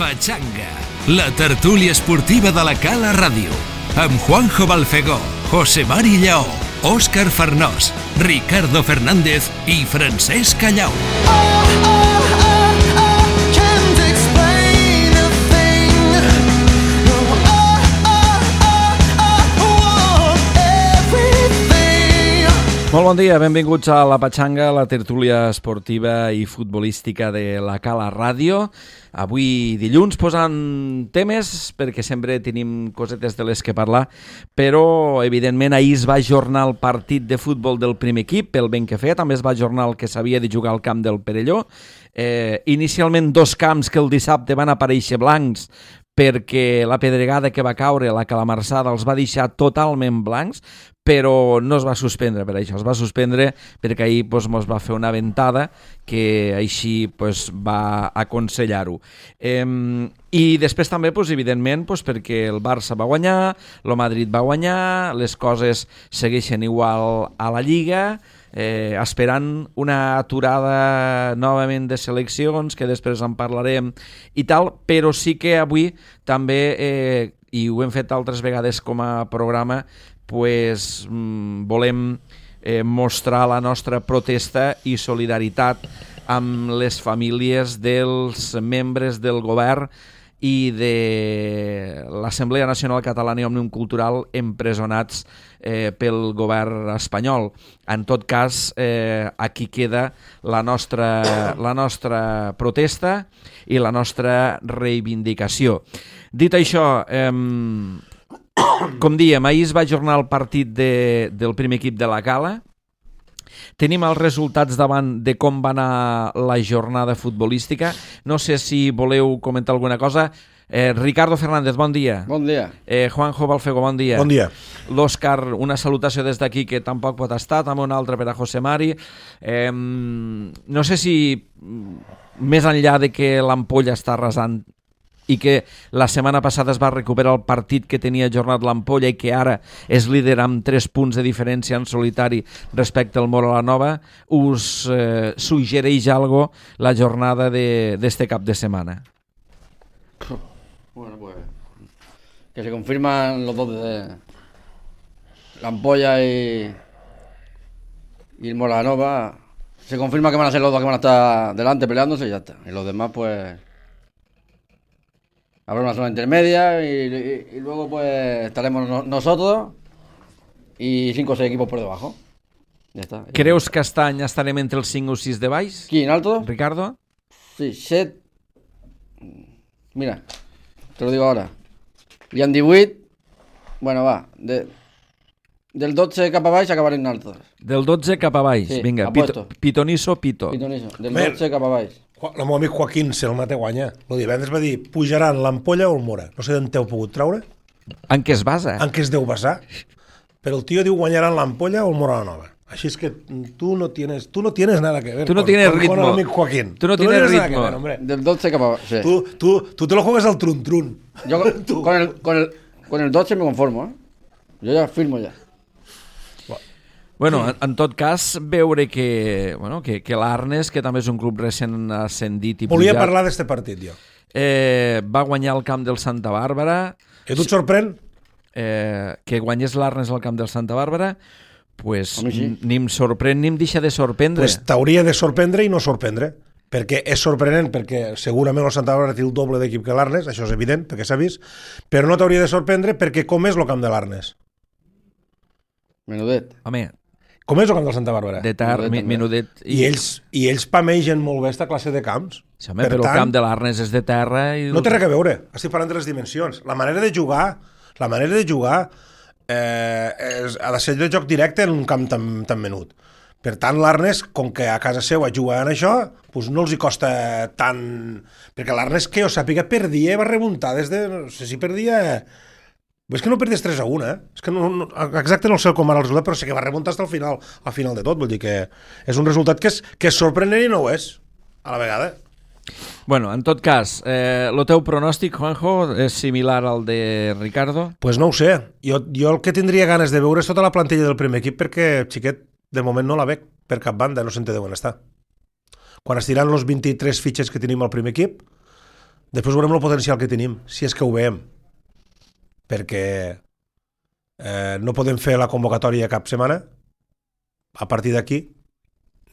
Pachanga, la tertúlia esportiva de la Cala Ràdio, amb Juanjo Balfegó, José Mari Lleó, Òscar Farnós, Ricardo Fernández i Francesc Callau. Molt bon dia, benvinguts a la Pachanga, la tertúlia esportiva i futbolística de la Cala Ràdio. Avui dilluns posant temes, perquè sempre tenim cosetes de les que parlar, però evidentment ahir es va ajornar el partit de futbol del primer equip, pel ben que feia, també es va ajornar el que s'havia de jugar al camp del Perelló. Inicialment dos camps que el dissabte van aparèixer blancs, perquè la pedregada que va caure, la calamarsada, els va deixar totalment blancs, però no es va suspendre per això, es va suspendre perquè ahir ens va fer una ventada que així va aconsellar-ho. I després també, evidentment, perquè el Barça va guanyar, el Madrid va guanyar, les coses segueixen igual a la Lliga, esperant una aturada novament de seleccions, que després en parlarem i tal, però sí que avui també, i ho hem fet altres vegades com a programa, volem mostrar la nostra protesta i solidaritat amb les famílies dels membres del govern i de l'Assemblea Nacional Catalana i Òmnium Cultural empresonats pel govern espanyol. En tot cas, aquí queda la nostra protesta i la nostra reivindicació. Dit això, com diem, ahir es va ajornar el partit del primer equip de la Cala. Tenim els resultats davant de com va anar la jornada futbolística. No sé si voleu comentar alguna cosa. Ricardo Fernández, bon dia. Bon dia. Juanjo Balfegó, bon dia. Bon dia. L'Òscar, una salutació des d'aquí que tampoc pot estar, també una altra per a José Mari. No sé si més enllà de que l'ampolla està arrasant i que la setmana passada es va recuperar el partit que tenia ajornat l'Ampolla i que ara és líder amb 3 punts de diferència en solitari respecte al Mola-la-Nova, us suggereix algo la jornada d'este cap de setmana? Bueno, pues que se confirman los dos de l'Ampolla y el Mola-la-Nova. Se confirma que van a ser los dos que van a estar delante peleándose y ya está. Y los demás, pues habrá una zona intermedia y luego pues estaremos nosotros y 5 o 6 equipos por debajo. Ya está. Creus que aquest any estarem entre els 5 o 6 de baix? Qui, en alto? Ricardo? Sí, 7. Mira, te lo digo ahora. Hi ha 18. Bueno, va. Del 12 cap a baix acabarem en altos. Del 12 cap a baix. Sí, vinga, pitonisso, pito. Pitonisso. Del 12 cap a baix. El meu amic Joaquín Selmate guanya. El divendres va dir, pujaran l'Ampolla o el Mora. No sé d'on t'heu pogut treure. En què es basa? En què es deu basar. Però el tio diu guanyaran l'Ampolla o el Mola-la-Nova. Així es que tu no tienes nada que ver. Tú no tienes ritmo. Con el amic Joaquín. Tú no tienes ritmo. Nada que ver, hombre. Del 12 cap a baix. Sí. Tú te lo juegas al trun-trun. Yo con el 12 me conformo, ¿eh? Yo ya firmo ya. Bueno, en tot cas, veure que l'Arnes, que també és un club recent ascendit i pujat... Volia parlar d'este partit, jo. Va guanyar el camp del Santa Bàrbara. I tu et sorprèn? Que guanyés l'Arnes al camp del Santa Bàrbara, pues sí. Ni em sorprèn ni em deixa de sorprendre. Pues t'hauria de sorprendre i no sorprendre. Perquè és sorprenent, perquè segurament el Santa Bàrbara té el doble d'equip que l'Arnes, això és evident, perquè s'ha vist, però no t'hauria de sorprendre perquè com és el camp de l'Arnes? Menudet. Home, com és el camp del Santa Bàrbara? de tard, menudet... I ells pamegen molt bé esta classe de camps. Sí, home, però el camp de l'Arnes és de terra... I... No té res a veure, estic parlant de les dimensions. La manera de jugar ha de ser de joc directe en un camp tan menut. Per tant, l'Arnes, com que a casa seva juguen això, doncs no els hi costa tant... Perquè l'Arnes, que jo sàpiga, perdia i va remuntar des de... No sé si perdia... És que no perdies 3-1, És que no, exacte no sé com era el resultat, però sí que va remuntar fins al final de tot. Vull dir que és un resultat que és sorprenent i no ho és, a la vegada. Bueno, en tot cas, el teu pronòstic, Juanjo, és similar al de Ricardo? Pues no ho sé. Jo el que tindria ganes de veure és tota la plantilla del primer equip perquè, xiquet, de moment no la veig per cap banda, no sé on deuen estar. Quan es tiran els 23 fitxes que tenim al primer equip, Després veurem el potencial que tenim, si és que ho veiem. Perquè no podem fer la convocatòria cap setmana. A partir d'aquí,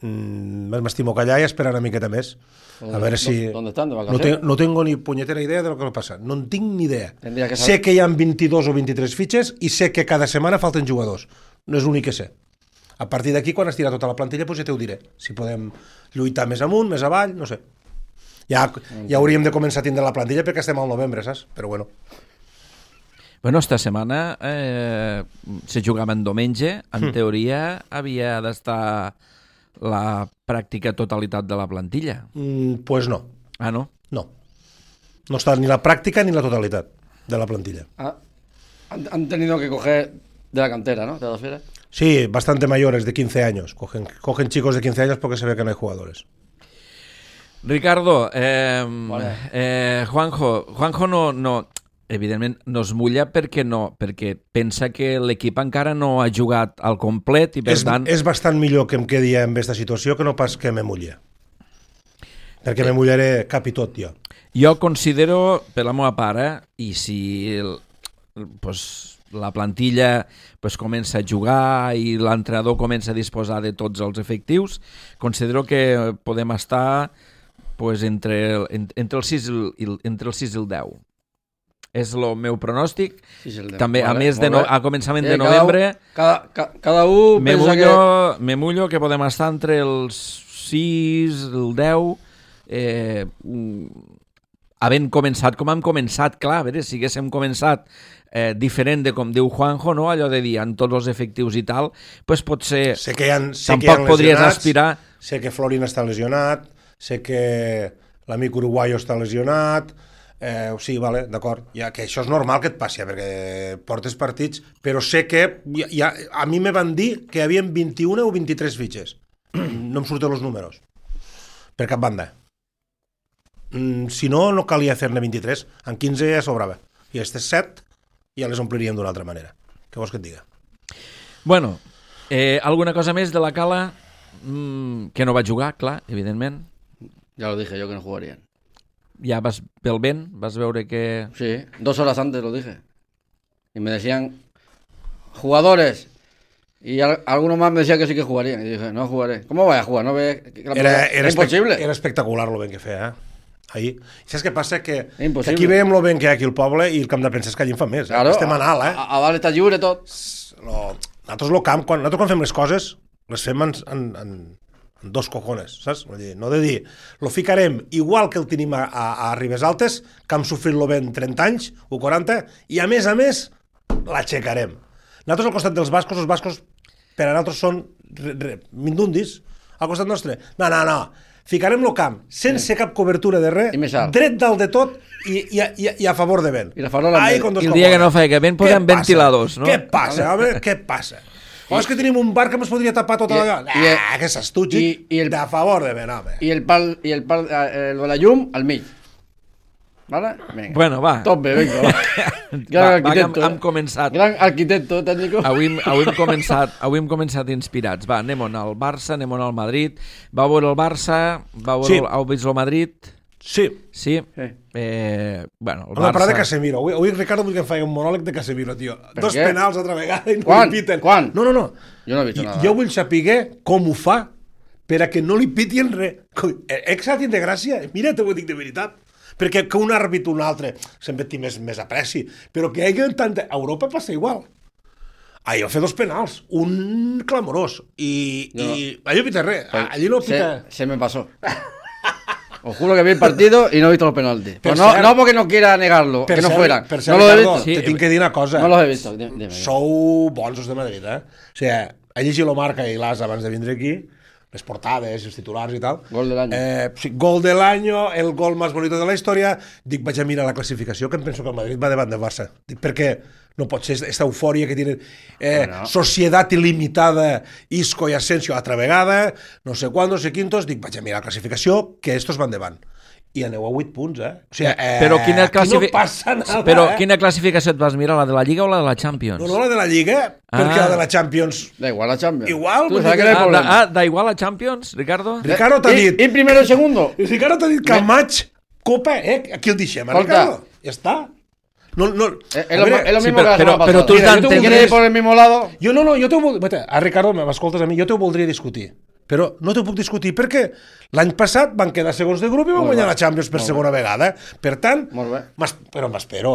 m'estimo callar i esperar una miqueta més. A veure si... ¿Dónde están? ¿De vacaciones? No tengo ni punyetera idea de lo que passa. No en tinc ni idea. Tendría que Sé saber. que hi ha 22 o 23 fitxes i sé que cada setmana falten jugadors. No és l'únic que sé. A partir d'aquí, quan es tira tota la plantilla, doncs ja t'ho diré. Si podem lluitar més amunt, més avall, no sé. Ja hauríem de començar a tindre la plantilla perquè estem al novembre, saps? Però bueno. Bueno, esta setmana se jugava en diumenge. En teoria havia d'estar la pràctica totalitat de la plantilla. Pues no. Ah, no? No. No està ni la pràctica ni la totalitat de la plantilla. Han tenido que coger de la cantera, ¿no? De la esfera. Sí, bastante mayores, de 15 años. Cogen chicos de 15 años porque se ve que no hay jugadores. Ricardo, Juanjo no, evidentment no es mulla perquè pensa que l'equip encara no ha jugat al complet i per tant... És bastant millor que em quedi en aquesta situació que no pas que me mulli. Perquè me mullaré cap i tot, jo. Jo considero, per la meva part, i si la plantilla comença a jugar i l'entrenador comença a disposar de tots els efectius, considero que podem estar entre el 6 i el 10. És el meu pronòstic. També, a més, a començament de novembre, cada un pensa que... me mullo que podem estar entre els 6, el 10, havent començat com hem començat. Clar, a veure, si haguéssim començat diferent de com diu Juanjo, no? Allò de dir, amb tots els efectius i tal, doncs potser tampoc podries aspirar... Sé que Florin està lesionat, sé que l'amic uruguaio està lesionat, sí, vale, d'acord, que això és normal que et passi, perquè portes partits, però sé que a mi me van dir que hi havia 21 o 23 fitxes. No em surten els números. Per cap banda. Si no, no calia fer-ne 23. En 15 ja sobrava. I aquestes 7 ja les ompliríem d'una altra manera. Què vols que et diga? Bueno, alguna cosa més de la Cala que no va jugar, clar, evidentment. Ya lo dije yo que no jugarían. Ya vas pel vent, vas veure que... Sí, 2 horas antes lo dije. Y me decían, jugadores. Y algunos más me decían que sí que jugarían. Y dije, no jugaré. ¿Cómo voy a jugar? ¿No ves? Era imposible. Era espectacular lo ben que feia, ahir. Saps què passa? Que aquí veiem lo ben que hi ha aquí al poble i el camp de premsa és que allí en fa més. Claro, estem a Nal, a dalt està lliure tot. Nosaltres el camp, nosaltres quan fem les coses, les fem en dos cojones, saps? No de dir, lo ficarem igual que el tenim a Ribes Altes, que hem sofrit lo vent 30 anys o 40, i a més, l'aixecarem. Nosaltres al costat dels bascos, els bascos per a nosaltres són mindundis, al costat nostre. No. Ficarem el camp sense cap cobertura de res, dret dalt de tot i a favor de vent. I el dia que no feia vent posem ventiladors, no? Què passa, home? Què passa? O és que tenim un bar que ens podria tapar tota la... Que s'estutxi a favor de vent, home. I el pal de la llum al mig. ¿Vale? Venga. Bueno, va. Top bé, venga, va. Gran arquitecto. Hem començat. Gran arquitecto tècnico. Avui hem començat inspirats. Va, anem al Barça, anem al Madrid. Va veure el Barça, heu vist el Madrid? Sí. Bueno, el Barça... Parlar de Casemiro. Avui Ricardo vull que em faci un monòleg de Casemiro, tio. Dos penals altra vegada i no li piten. Quan? No. Jo no he vist nada. Jo vull saber com ho fa per a que no li pitien res. Exacte de gràcia. Mira, t'ho dic de veritat. Perquè que un àrbit o un altre sempre té més apreci, però que hi hagi tanta... A Europa passa igual. Ahir va fer 2 penals, un clamorós, i allí no pita res, allí no pita... Se me pasó. Os juro que vi el partido y no he visto los penaltis. Pero no porque no quiera negarlo, que no fueran. No los he visto. Te tinc que dir una cosa. No los he visto. Sou bons els de Madrid, O sigui, he llegit la Marca i l'As abans de vindre aquí, les portades, els titulars i tal. Gol del año. Sí, gol del año, el gol més bonito de la història. Dic, vaig a mirar la classificació, que em penso que el Madrid va davant del Barça. Dic, perquè no pot ser aquesta eufòria que tenen Societat Il·limitada, Isco i Asensio altra vegada, no sé quan, no sé quintos. Dic, vaig a mirar la classificació, que estos van davant. I aneu a 8 punts, O sigui, però no passa nada, Però quina classificació et vas mirar, la de la Lliga o la de la Champions? No, la de la Lliga, perquè la de la Champions... Da igual la Champions. Igual. Da igual la Champions, Ricardo? Ricardo t'ha dit... ¿Y primero y segundo? Ricardo t'ha dit que al maig, Copa, aquí el deixem, Escolta. Ricardo. Ja està. No, Es lo mismo que la pero semana pasada. tú Mira, estás ¿tú quieres ir por el mismo lado? jo t'ho voldria... Ricardo, m'escoltes a mi, jo t'ho voldria discutir. Però no t'ho puc discutir perquè l'any passat van quedar segons de grup i van guanyar la Champions per segona vegada. Per tant, però m'espero,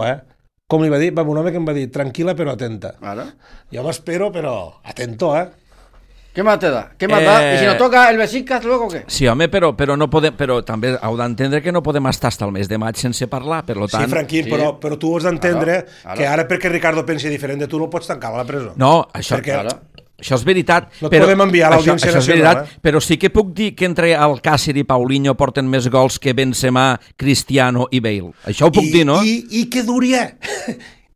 Com li va dir? Va, un home que em va dir, tranquil·la però atenta. Claro. Jo m'espero, però atento, ¿Qué más te da? ¿Qué más da? ¿Y si nos toca el Besiktas luego qué? Sí, home, però no podem, però també heu d'entendre que no podem estar fins al mes de maig sense parlar, per tant... Sí, Franquín, Sí. però tu has d'entendre Claro. que ara perquè Ricardo pensi diferent de tu no el pots tancar a la presó. No, això, Perquè- això és veritat. No et podem enviar a l'Audiència això és Nacional, veritat, però sí que puc dir que entre Alcácer i Paulinho porten més gols que Benzema, Cristiano i Bale. Això ho puc dir, no? I que duria.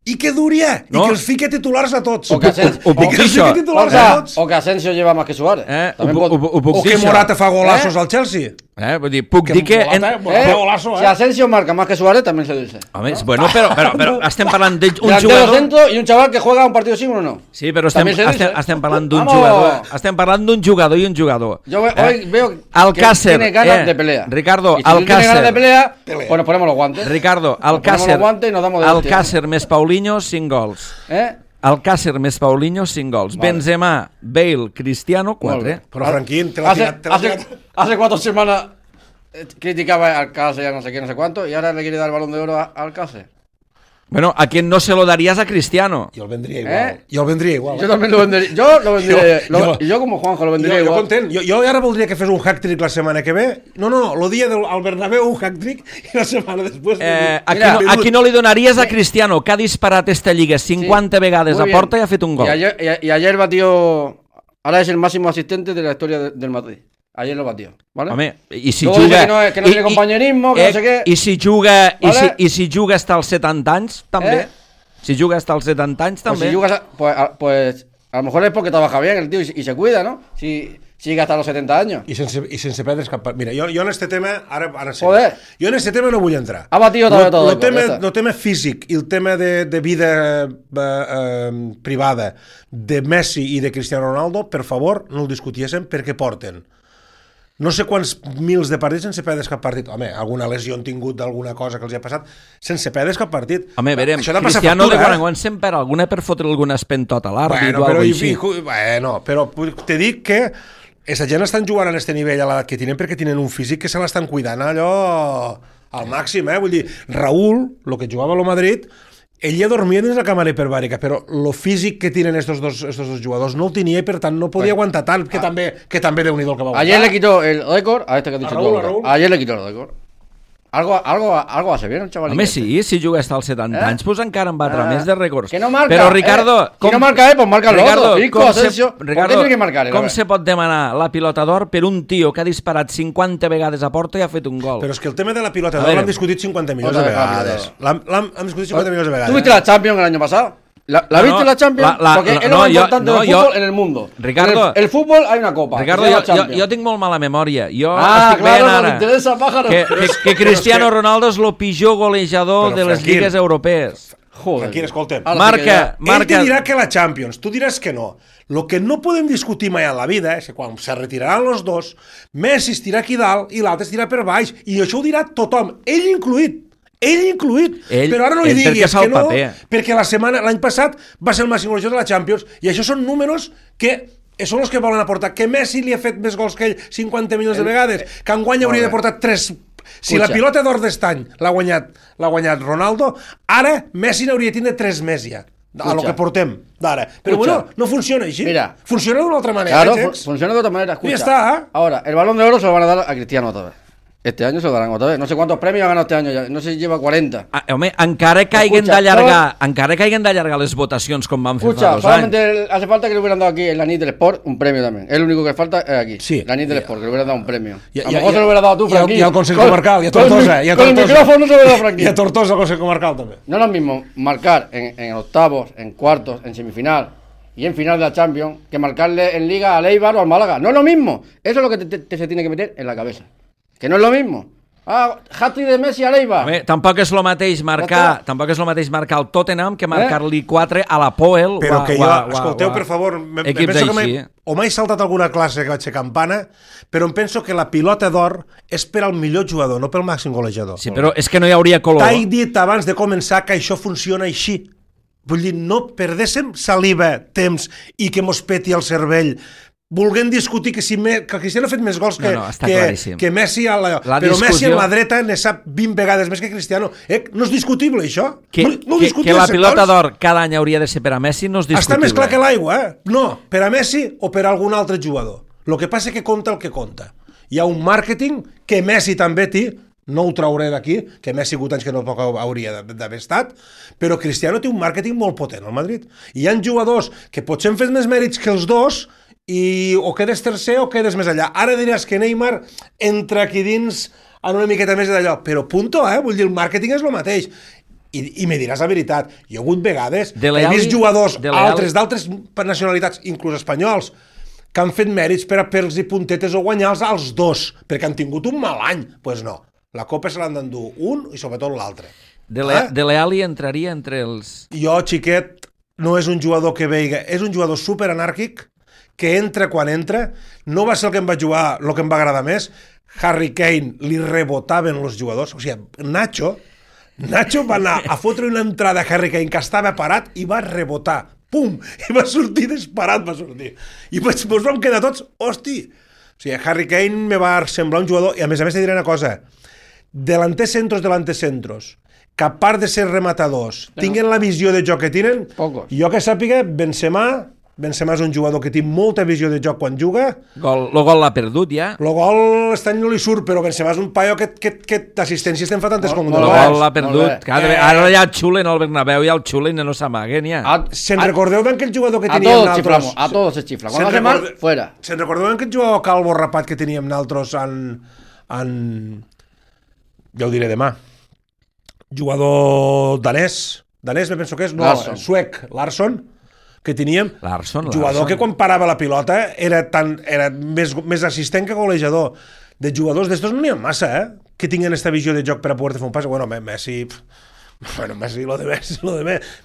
I que duria. No. I que els fique titulars a tots. O que Asensio, ho puc I que dir, els això. fique titulars a tots. o que Asensio lleva más que Suárez. También Ho puc O dir, que això. Morata fa golazos al Chelsea. Vull dir, puc dir que... Morata fa golazo, Si Asensio marca más que Suárez, también se dice. Home, bueno, però estem parlant d'un Delantero jugador... centro y un chaval que juega un partido sí o no. Sí, però También se dice. estem parlant d'un Vamos. jugador. Estem parlant d'un jugador i un jugador. Yo hoy veo que Alcácer, tiene ganas de pelea. Ricardo, Y si tú tienes ganas de Alcácer. pelea, pues nos ponemos los guantes. Ricardo, ponemos Alcácer. los guantes y nos damos de Alcácer més Paulinho, 5 gols. Alcácer més Paulinho, 5 gols. Vale. Benzema, Bale, Cristiano, 4. Però, Franquín, te l'ha tirat. Hace 4 semanas criticaba a Alcácer y a no sé qué, no sé cuánto, y ahora le quiere dar el balón de oro a Alcácer. Bueno, ¿a quién no se lo darías a Cristiano? Jo el vendria igual. Jo el vendria igual. Yo también lo vendería. Yo lo vendería. Jo- Y yo como Juanjo lo vendería Jo igual. content. Jo ara voldria que fes un hack-trick la setmana que ve. No, el dia al Bernabéu un hack-trick i la setmana després... A qui no li donaries a Cristiano, que ha disparat esta lliga 50 vegades Muy a bien. porta i ha fet un gol? Y ayer batió. Ahora es el máximo asistente de la historia del Madrid. Ayer lo batió. ¿Vale? Home, i si Luego dice juga... que no tiene compañerismo, que no sé qué. I si juga, Vale. i si juga hasta els 70 anys, també. Si juga hasta els 70 anys, Pues també. si jugas, pues a lo mejor es porque trabaja bien el tío y se cuida, ¿no? Si llega hasta los 70 años. I sense perdre's cap... Mira, jo en este tema... Ara sí. Joder. Jo en este tema no vull entrar. Ha batido otra vez todo. El tema físic i el tema de vida privada de Messi i de Cristiano Ronaldo, per favor, no el discutiéssim perquè porten no sé quants mils de partits sense perdre's cap partit. Home, alguna lesió han tingut d'alguna cosa que els ha passat, sense perdre's cap partit. Home, verem, Això ha de passar Cristiano de factura, quan en quan sempre alguna per fotre alguna espentot a l'àrbit o però, alguna així. però te dic que aquesta gent estan jugant a aquest nivell a l'edat que tenen perquè tenen un físic que se l'estan cuidant allò al màxim, Vull dir, Raúl, el que jugava a lo Madrid, ell ja dormia dins la càmera hiperbàrica, però el físic que tenen estos dos jugadors no el tenia i per tant no podia aguantar tant, que també Déu-n'hi-do el que va aguantar. Ayer le quitó el récord a este que has dicho Raúl, tú. Raúl. Ayer le quitó el récord. Algo hace bien el chaval. Home, sí, si juga hasta els 70 anys, pues encara en batre més de rècords. Que no marca. Però, Ricardo... Si no marca pues marca el otro. Fico, Asensio. ¿Por qué Ricardo, tiene que marcar? com se pot demanar la pilota d'or per un tio que ha disparat 50 vegades a porta i ha fet un gol? Però és que el tema de la pilota A d'or veure. l'hem discutit 50 milions de Otra vez la vegades. pilota L'hem discutit 50 milions de vegades. ¿Tú viste la Champions el año pasado? ¿La viste la Champions? Porque es lo más importante del fútbol en el mundo. Ricardo, el fútbol hay una copa. Ricardo, jo tinc molt mala memòria. Jo estic claro, veient ara interesa, pájaro. que Cristiano Ronaldo és el pitjor golejador Però, de les Franquín, lligues europees. Joder. Aquí, escolta'm. Ahora Ell te dirà que la Champions, tu diràs que no. Lo que no podem discutir mai en la vida és que quan se retiraran els dos, Messi estirà aquí dalt i l'altre estirà per baix. I això ho dirà tothom, ell incluït. Però ara no li diguis que no, perquè l'any passat va ser el màxim golejador de la Champions i això són números que són els que volen aportar. Que Messi li ha fet més gols que ell 50 milions de vegades, que enguany hauria de portar 3. Si la pilota d'or d'estany l'ha guanyat Ronaldo, ara Messi n'hauria de tindre 3 més ja, a lo que portem d'ara. Però bueno, no funciona així. Mira. Funciona d'una altra manera. Claro, funciona de otra manera. Escucha. Ya está. Ahora, el Balón de Oro se lo van a dar a Cristiano otra vez. Este año se lo darán otra vez. No sé cuántos premios ha ganado este año ya. No sé si lleva 40. Home, encara que hagin d'allargar les votacions com van fer Escucha, fa 2 anys. solamente hace falta que le hubieran dado aquí en la NIT del Sport un premio también. Es lo único que falta es aquí. Sí. La NIT del Sport, que le hubieran dado un premio. I- A lo i- mejor i- se lo hubiera dado tú, i al- Franquín. i al Consell Con- Comarcal, i a con el Tortosa, mi- i a Con el Tortosa. micrófono se lo hubiera dado Franquín. I a Tortosa al Consell Comarcal també. No es lo mismo marcar en octavos, en cuartos, en semifinal y en final de la Champions que marcarle en Liga al Eibar o al Málaga. No es lo mismo. Eso es lo que se tiene que meter en la cabeza. Que no es lo mismo. hat-trick de Messi a l'Eibar. Tampoc és el mateix marcar el Tottenham que marcar-li 4 a la Poel. Però que jo, escolteu, per favor, penso que o m'he saltat alguna classe que vaig ser campana, però em penso que la pilota d'or és per al millor jugador, no pel màxim golejador. Sí, però és que no hi hauria color. T'he dit abans de començar que això funciona així. Vull dir, no perdéssim saliva, temps i que mos peti el cervell volguem discutir que Cristiano ha fet més gols que Messi però Messi a la dreta ne sap 20 vegades més que Cristiano. No és discutible, això. Que la pilota d'or cada any hauria de ser per a Messi no és discutible. Està més clar que l'aigua, No, per a Messi o per a algun altre jugador. El que passa és que compta el que compta. Hi ha un màrqueting que Messi també té, no ho trauré d'aquí, que Messi ha sigut anys que no hauria d'haver estat, però Cristiano té un màrqueting molt potent al Madrid. I hi ha jugadors que potser han fet més mèrits que els dos i o quedes tercer o quedes més allà. Ara diràs que Neymar entra aquí dins en una miqueta més d'allò, però punto, vull dir, el màrqueting és el mateix. I me diràs la veritat, hi ha hagut vegades he vist jugadors d'altres nacionalitats, inclús espanyols, que han fet mèrits per a pels i puntetes o guanyar als dos, perquè han tingut un mal any. Doncs pues no, la Copa se l'han d'endur un i sobretot l'altre. Dele Alli entraria entre els... Jo, xiquet, no és un jugador que veiga, és un jugador superanàrquic, que entra quan entra, no va ser el que em va jugar, el que em va agradar més. Harry Kane li rebotaven els jugadors, o sigui, Nacho va anar a fotre una entrada a Harry Kane que estava parat i va rebotar, pum, i va sortir disparat, i ens vam quedar tots, hosti, o sigui, Harry Kane me va semblar un jugador, i a més te diré una cosa, delantecentros, que a part de ser rematadors, tinguen la visió de joc que tenen, jo que sàpiga, Benzema és un jugador que té molta visió de joc quan juga. El gol l'ha perdut, ja. El gol aquest any no li surt, però Benzema és un paio que d'assistències te'n fa tantes com un gol. El gol l'ha perdut. Ara ja el xulen al Bernabéu i el xulen no s'amaguen, ja. Se'n recordeu d'aquell jugador que teníem naltros? A todos se xifla. Quan hace mal, fuera. Se'n recordeu d'aquell jugador calvo rapat que teníem naltros en... Ja ho diré demà. Jugador danès me penso que és, no, suec, Larsson, que teníem, jugador que quan parava la pilota era més assistent que golejador. De jugadors d'estos no n'hi ha massa, que tinguin aquesta visió de joc per a poder fer un pas. Bueno, Messi, lo de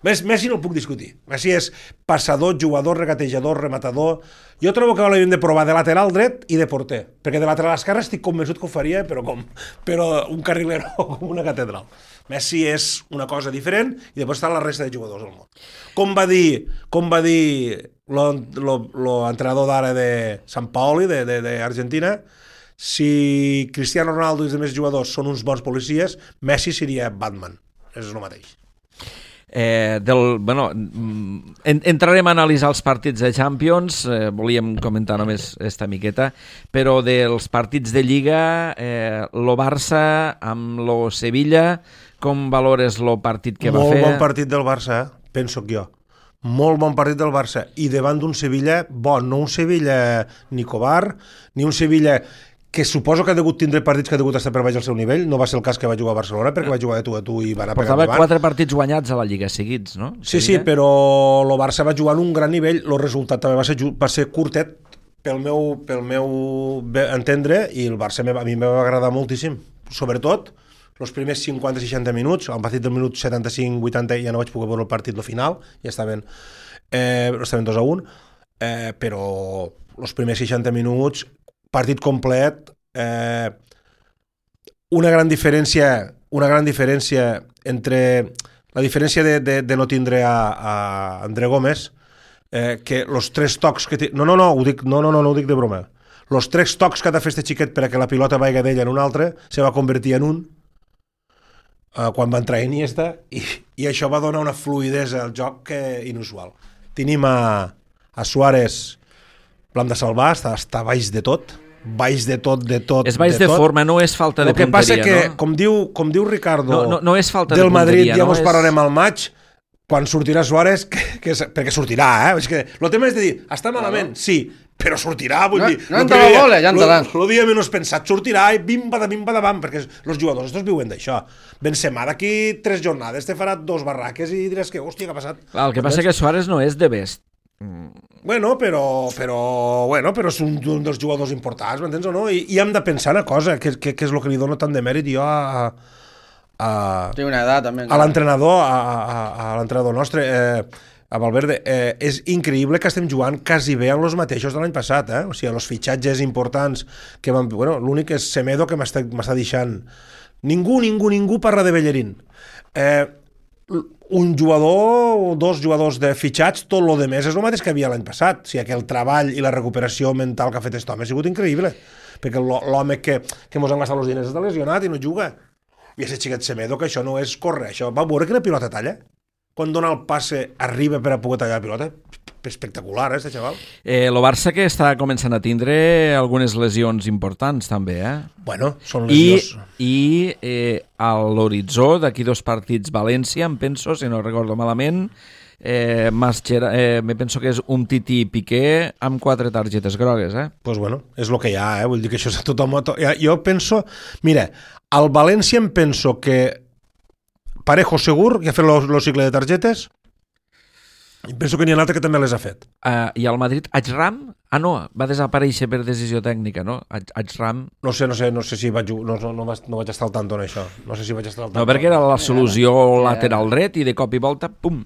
Messi no el puc discutir. Messi és passador, jugador, regatejador, rematador. Jo trobo que l'havíem de provar de lateral dret i de porter, perquè de lateral esquerre estic convençut que ho faria, però un carrilero com una catedral. Messi és una cosa diferent i després està la resta de jugadors del món. Com va dir l'entrenador d'ara de Sant Paoli, d'Argentina, si Cristiano Ronaldo i els altres jugadors són uns bons policies, Messi seria Batman. És el mateix. Entrarem a analitzar els partits de Champions, volíem comentar només esta miqueta, però dels partits de Lliga, lo Barça amb lo Sevilla, com valores el partit que va fer? Molt bon partit del Barça, penso jo. Molt bon partit del Barça. I davant d'un Sevilla bon, no un Sevilla ni covard, ni un Sevilla que suposo que ha degut tindre partits que ha degut estar per baix al seu nivell. No va ser el cas que va jugar a Barcelona, perquè va jugar de tu a tu i va anar pegant davant. Portava 4 partits guanyats a la Lliga seguits, no? Sí, però el Barça va jugar en un gran nivell. El resultat també va ser curtet pel meu entendre, i el Barça a mi em va agradar moltíssim. Sobretot els primers 50-60 minuts, al partit del minut 75-80 ja no vaig poder veure el partit, el final, ja estaven 2-1, però els primers 60 minuts, partit complet, una gran diferència entre la diferència de no tindre a André Gómez, que els 3 tocs que no ho dic de broma, els 3 tocs que ha de fer este xiquet per a que la pilota vaiga d'ell en un altre se va convertir en un quan va entrar Iniesta, i això va donar una fluidesa al joc inusual. Tenim a Suárez, l'hem de salvar, està baix de tot. És baix de forma, no és falta de punteria. El que passa que, com diu Ricardo, no és falta de del punteria, Madrid, ja mos parlarem al maig, quan sortirà Suárez, perquè sortirà, És que el tema és de dir, està malament, sí, però sortirà, vull dir... No entra la bola, ja entrarà. El dia menys pensat, sortirà i bim-badam, perquè els jugadors estos viuen d'això. Benzema d'aquí 3 jornades te farà 2 barraques i diràs que, hòstia, què ha passat? El que passa és que Suárez no és de best. Bueno, però és un dels jugadors importants, m'entens o no? I hem de pensar una cosa, que és el que li dono tant de mèrit jo Té una edat, també. A l'entrenador nostre, a Valverde. És increïble que estem jugant quasi bé amb els mateixos de l'any passat, o sigui, els fitxatges importants que van... Bueno, l'únic és Semedo, que m'està deixant... Ningú parla de Bellerín. Un jugador o dos jugadors de fitxats, tot el més és el mateix que havia l'any passat. O sigui, que el treball i la recuperació mental que ha fet aquest home ha sigut increïble, perquè l'home que mos han gastat els diners està lesionat i no juga. I aquest xiquet Semedo, que això no és córrer, això va veure quina pilota talla. Quan dona el passe arriba per a poder tallar la pilota. Espectacular, este xaval. El Barça que està començant a tindre algunes lesions importants també, Bueno, són lesions. I a l'horitzó d'aquí 2 partits València, em penso, si no recordo malament, me penso que és un Titi Piqué amb 4 targetes grogues, Pues bueno, és el que hi ha, vull dir que això és tothom... Jo penso... Mira, al València em penso que Parejo segur, que ha fet el cicle de targetes, i penso que n'hi ha un altre que també les ha fet. I al Madrid, Ajram? No, va desaparèixer per decisió tècnica, no? Ajram... No sé si vaig... No vaig estar al tanto en això. No sé si vaig estar al tanto. No, perquè era la solució lateral dret i de cop i volta, pum!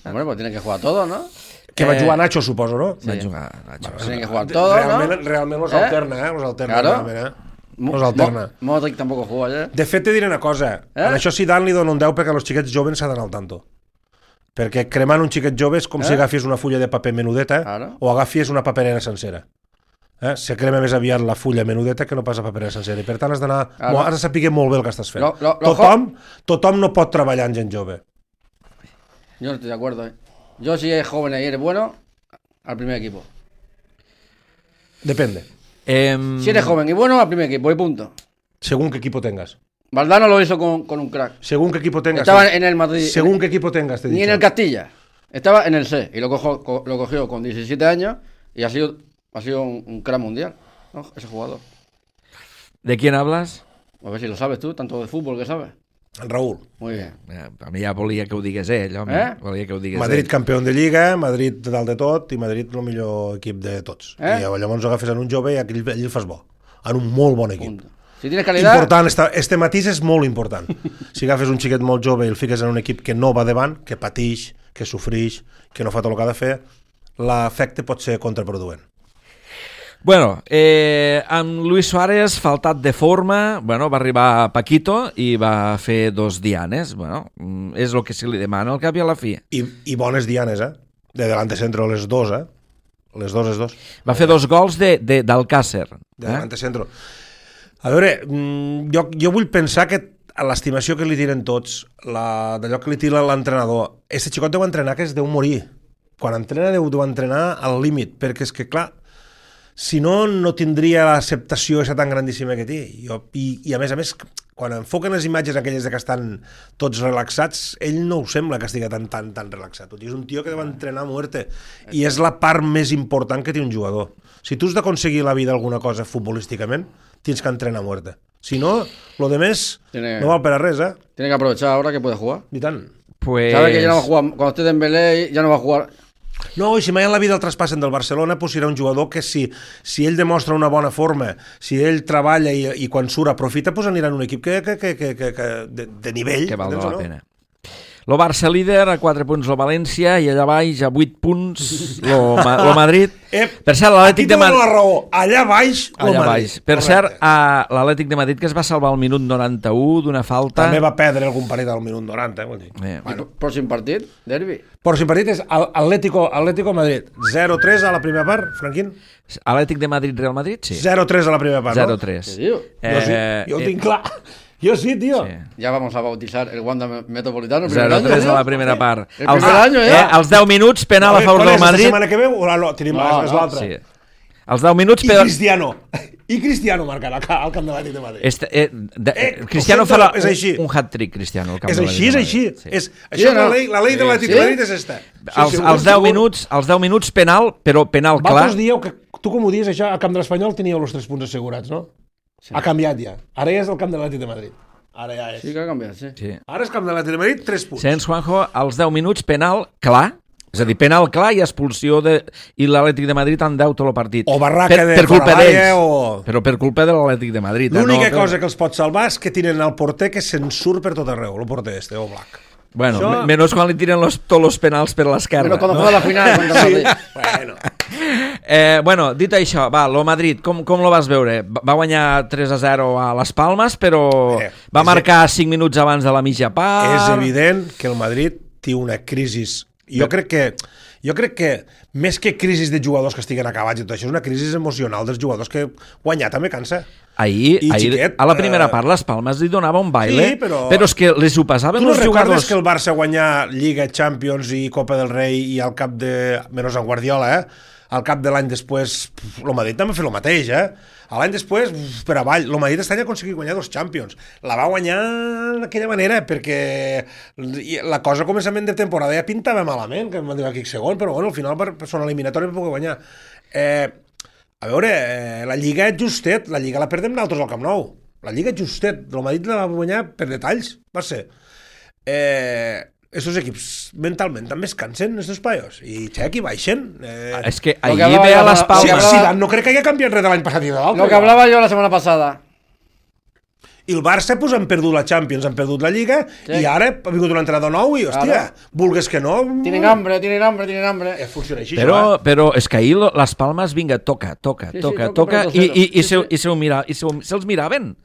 Bueno, pues tiene que jugar todo, ¿no? Que va jugar Nacho, suposo, ¿no? Va jugar Nacho. Tiene que jugar todo, realment los alterna, los alterna. Claro. Los alterna. Modric tampoco juega ayer. De fet, te diré una cosa. En això Zidane li dona un 10 perquè els xiquets joves s'ha d'anar al tanto. Perquè cremant un xiquet jove és com si agafis una fulla de paper menudeta o agafis una paperera sencera. Se crema més aviat la fulla menudeta que no pas la paperera sencera. I per tant has de saber molt bé el que estàs fent. Tothom no pot treballar en gent jove. Yo no estoy de acuerdo, Yo si es joven y eres bueno, al primer equipo. Depende. Si eres joven y bueno, al primer equipo, y punto. Según qué equipo tengas. Valdano lo hizo con un crack. Según qué equipo tengas. Estaba en el Madrid. Según qué equipo tengas, te he dicho. Ni en el Castilla. Estaba en el C. Y lo cogió con 17 años y ha sido un crack mundial, ¿no? Ese jugador. ¿De quién hablas? A ver si lo sabes tú, tanto de fútbol que sabes. Raúl. Muy bien. A mi ja volia que ho digués ell, home. Volia que ho digués Madrid ell. campió de Lliga, Madrid dalt de tot i Madrid el millor equip de tots. I llavors agafes en un jove i ell el fas bo. En un molt bon equip. Punto. Si tienes calidad... Important, este matís és molt important. Si agafes un xiquet molt jove i el fiques en un equip que no va davant, que patix, que sofrix, que no fa tot el que ha de fer, l'efecte pot ser contraproduent. Bueno, amb Luis Suárez, faltat de forma, va arribar Paquito i va fer 2 dianes. És el que se li demana al cap i a la fi. I bones dianes, De delante centro les dos, Les dos. Va fer 2 gols d'Alcácer. De delante centro. A veure, jo vull pensar que l'estimació que li tiren tots, d'allò que li tira l'entrenador, aquest xicot deu entrenar que es deu morir. Quan entrena deu entrenar al límit, perquè és que, clar, si no, no tindria l'acceptació aquesta tan grandíssima que té. I a més, quan enfoquen les imatges aquelles que estan tots relaxats, ell no ho sembla que estigui tan relaxat. És un tio que deu entrenar a muerte. I és la part més important que té un jugador. Si tu has d'aconseguir la vida alguna cosa futbolísticament, tienes que entrenar a muerte. Si no, lo demás no val per a res, Tiene que aprovechar ahora que puede jugar. I tant. Pues... Sabe que ya no va a jugar. Cuando esté Dembélé ya no va a jugar. No, i si mai en la vida el traspassen del Barcelona, pues serà un jugador que si ell demostra una bona forma, si ell treballa i quan surt aprofita, pues anirà en un equip que de nivell. Que val la pena. Lo Barça líder, a 4 punts el València, i allà baix, a 8 punts, lo Madrid. Per cert, l'Atlètic de Madrid... la raó, allà baix, lo Madrid. Per cert, l'Atlètic de Madrid, que es va salvar al minut 91 d'una falta... També va perdre algun partit al minut 90, vol dir. Pròxim partit, derbi. Pròxim partit és Atlético Madrid. 0-3 a la primera part, Franquín. Atlètic de Madrid-Real Madrid, sí. 0-3 a la primera part, 0-3. Què diu? Jo ho tinc clar. Yo sí, tío. Sí. Ya vamos a bautizar el Wanda Metropolitano. 0-3 a la primera part. El primer año, als 10 minuts, penal a favor del Madrid. La setmana que ve o no? Tenim l'altra. Sí. Als 10 minuts... I Cristiano marcarà al camp de l'Atlètic de Madrid. Cristiano farà un hat-trick, Cristiano. És així. Això la llei de l'Atlètic de Madrid és esta. Als 10 minuts penal, però penal clar. Vosaltres dieu que, tu com ho dius, això, al camp de l'Espanyol teníeu els 3 punts assegurats, no? Sí. Ha canviat ja. Ara ja és el camp de l'Atlètic de Madrid. Ara ja és. Sí que ha canviat, sí. Ara és camp de l'Atlètic de Madrid, 3 punts. Sents, Juanjo, als 10 minuts, penal clar. És a dir, penal clar i expulsió i l'Atlètic de Madrid en 10 tot el partit. O barraca de culpa d'ells, o... però per culpa de l'Atlètic de Madrid. L'única cosa que els pot salvar és que tiren el porter que se'n surt per tot arreu, el porter o Black. Bueno, menos quan li tiren tots els penals per l'esquerra. Però quan juega la final contra el Madrid. Bueno, dit això, va, lo Madrid, com lo vas veure? Va guanyar 3-0 a Les Palmes, però va marcar 5 minuts abans de la mitja part. És evident que el Madrid té una crisi. Jo crec que més que crisi de jugadors que estiguen acabats i tot això, és una crisi emocional dels jugadors que guanyar també cansa. Ahir a la primera part, les Palmes li donava un baile, sí, però és que les ho passaven els jugadors. Tu no recordes que el Barça guanyar Lliga, Champions i Copa del Rei i al cap de... menys en Guardiola, al cap de l'any després, el Madrid també va fer el mateix, L'any després, per avall, el Madrid aquest any ha aconseguit guanyar 2 Champions. La va guanyar d'aquella manera, perquè la cosa a començament de temporada ja pintava malament, que em van dir aquí segon, però bueno, al final per són eliminatòria per poder guanyar. A veure, la Lliga és justet, la Lliga la perdem nosaltres al Camp Nou. La Lliga és justet, el Madrid la va guanyar per detalls, va ser. Estos equips mentalment també es cansen, estos paios, i xec, i baixen. És que ahir ve a les Palmes... Zidane no crec que hagi canviat res de l'any passat i de l'altre. Lo que hablaba yo la semana pasada. I el Barça pues, han perdut la Champions, han perdut la Lliga, i ara ha vingut un entrenador nou i, hòstia, vulgues que no... Tienen hambre. Funciona així, però és que ahir les Palmes, vinga, toca, i se'ls miraven.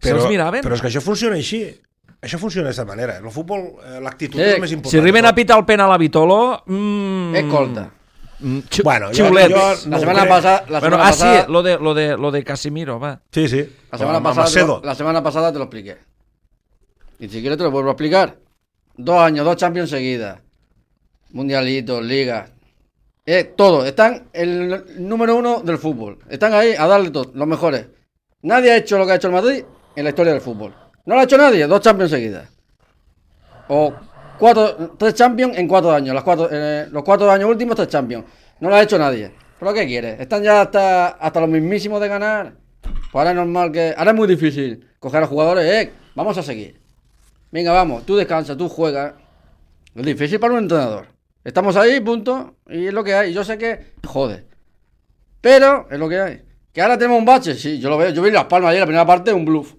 Però és que això funciona així. Això funciona d'aquesta manera. El futbol, l'actitud és el més important. Si arriben a pitar el penal a Vitolo... Escolta. Xiulets. La semana pasada... Sí, lo de Casimiro, va. Sí. La semana pasada te lo expliqué. Y si quieres te lo vuelvo a explicar. 2 años, 2 Champions seguidas. Mundialitos, ligas. Todo. Están el número 1 del fútbol. Están ahí a darle todo, los mejores. Nadie ha hecho lo que ha hecho el Madrid en la historia del fútbol. No lo ha hecho nadie, 2 Champions seguidas. O 3 Champions en 4 años. Los 4 años últimos, 3 Champions. No lo ha hecho nadie. ¿Pero qué quieres? Están ya hasta los mismísimos de ganar. Pues ahora es normal que... Ahora es muy difícil coger a los jugadores. Vamos a seguir. Venga, vamos. Tú descansa, tú juegas. Es difícil para un entrenador. Estamos ahí, punto. Y es lo que hay. Yo sé que... Jode. Pero es lo que hay. Que ahora tenemos un bache. Sí, yo lo veo. Yo vi Las Palmas ayer, la primera parte, un bluff.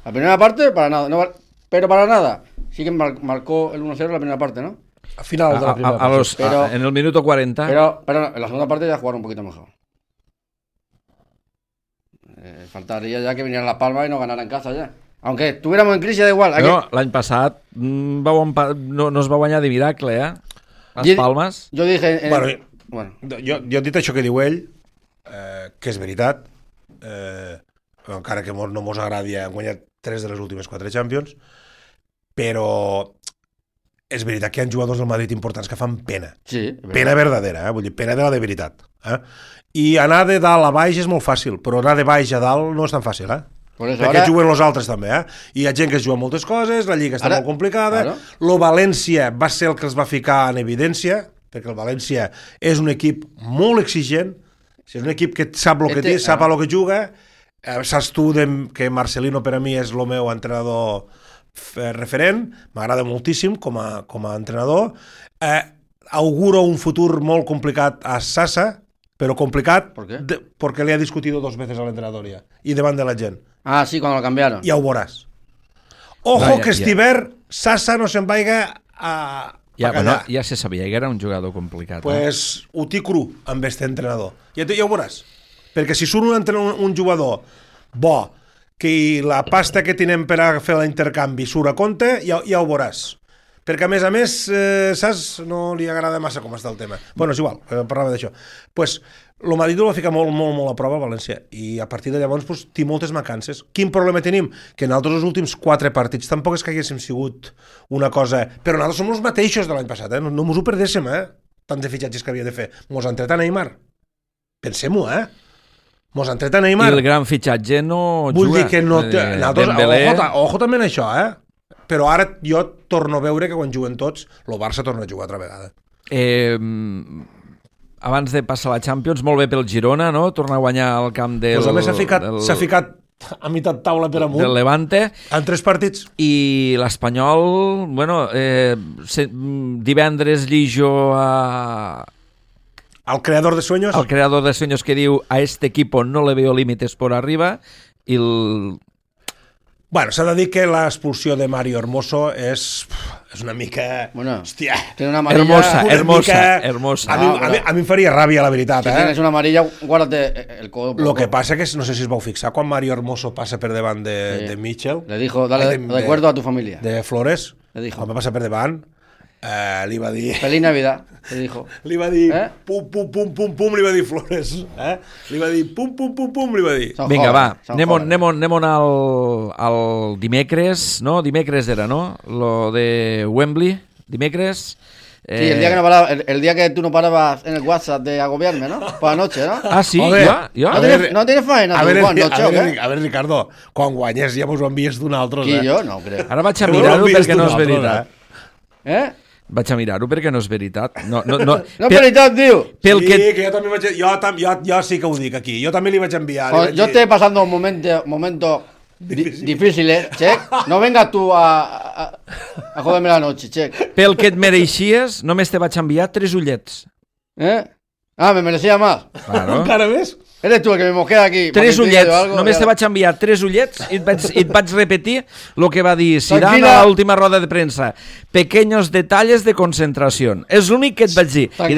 La primera parte, para nada. No, pero para nada. Sí que marcó el 1-0 la primera parte, ¿no? Al final de la primera parte. En el minuto 40. Pero en la segunda parte ya jugaron un poquito mejor. Faltaría ya que vinieran Las Palmas y no ganaran en casa ya. Aunque estuviéramos en crisis, da igual. L'any passat no es va guanyar de miracle, Les Palmes. Jo dije... Jo he dit això que diu ell, que és veritat, encara que no mos agradi, han guanyat 3 de les últimes 4 Champions, però és veritat que hi ha jugadors del Madrid importants que fan pena. Sí, pena verdadera, vull dir, pena de la de veritat. I anar de dalt a baix és molt fàcil, però anar de baix a dalt no és tan fàcil, perquè juguen els altres també, i hi ha gent que es juga moltes coses, la Lliga està molt complicada, lo València va ser el que els va ficar en evidència, perquè el València és un equip molt exigent, és un equip que sap el que té, sap a lo que juga, saps tu que Marcelino per a mi és el meu entrenador referent, m'agrada moltíssim com a entrenador, auguro un futur molt complicat a Sasa, però complicat perquè li ha discutido 2 veces al entrenador ja, i davant de la gent. Ah, sí, cuando lo cambiaron. Ja ho veuràs. Ojo que Estiver, Sasa no se'n vaiga a callar. Ja se sabia que era un jugador complicat. Pues ho té cru amb este entrenador. Ja ho veuràs. Perquè si surt un jugador bo, que la pasta que tenim per a fer l'intercanvi surt a compte, ja ho veuràs. Perquè a més, saps, no li agrada massa com està el tema. Bueno, és igual, parlava d'això. Pues el Madrid ho va ficar molt a prova a València, i a partir de llavors té moltes mancances. Quin problema tenim? Que nosaltres els últims 4 partits tampoc és que haguéssim sigut una cosa... Però nosaltres som els mateixos de l'any passat, no mos ho perdéssim, tant de fitxatges que havia de fer. Mos han tret a Neymar. Pensem-ho, Mos han tret a Neymar. I el gran fitxatge no juga. Vull dir que no... Ojo també en això, Però ara jo torno a veure que quan juguen tots, el Barça torna a jugar altra vegada. Abans de passar la Champions, molt bé pel Girona, no? Tornar a guanyar el camp del... Pues a més s'ha ficat a meitat taula per amunt. Del Levante. En 3 partits. I l'Espanyol, divendres llijo al creador de sueños. Al creador de sueños que diu a este equipo no le veo límites por arriba i Bueno, s'ha de dir que l'expulsió de Mario Hermoso és una mica... Bueno, hòstia, tiene una amarilla... Hermosa. A mi em faria ràbia, la veritat. Si tienes una amarilla, guárdate el codo. Lo que passa que no sé si es vau fixar quan Mario Hermoso passa per davant de Mitchell. Le dijo, dale recuerdo a tu familia. De Flores. Le dijo. Quan va passar per davant, li va dir... Feliz Navidad, le dijo. Li va dir pum, pum, pum, pum, pum, li va dir Flores. Li va dir pum, pum, pum, pum, li va dir. Vinga, va, anem al dimecres, no? Dimecres era, no? Lo de Wembley, dimecres... Sí, el día que tú no parabas en el WhatsApp de agobiarme, ¿no? Por la noche, ¿no? Ah, sí? Jo? No tienes faena, a ver, Ricardo, quan guanyes ja mos ho envies d'un altre. Qui, jo? No ho crec. Ara vaig a mirar-ho perquè no és veritat. Vaig a mirar-ho perquè no és veritat. No és veritat, tio. Que jo també vaig... Jo sí que ho dic aquí. Jo també li vaig enviar. Jo estic passant un momento difícil, Check. No vengas tú a joderme la noche, Check. Pel que et mereixies, només te vaig enviar 3 ullets. Me merecía más. Claro. Encara més? Eres tú el que me mosquea aquí. 3 ullets. Només te vaig enviar 3 ullets i et vaig repetir el que va dir Zidane a l'última roda de premsa. Pequeños detalles de concentración. És l'únic que et vaig dir. I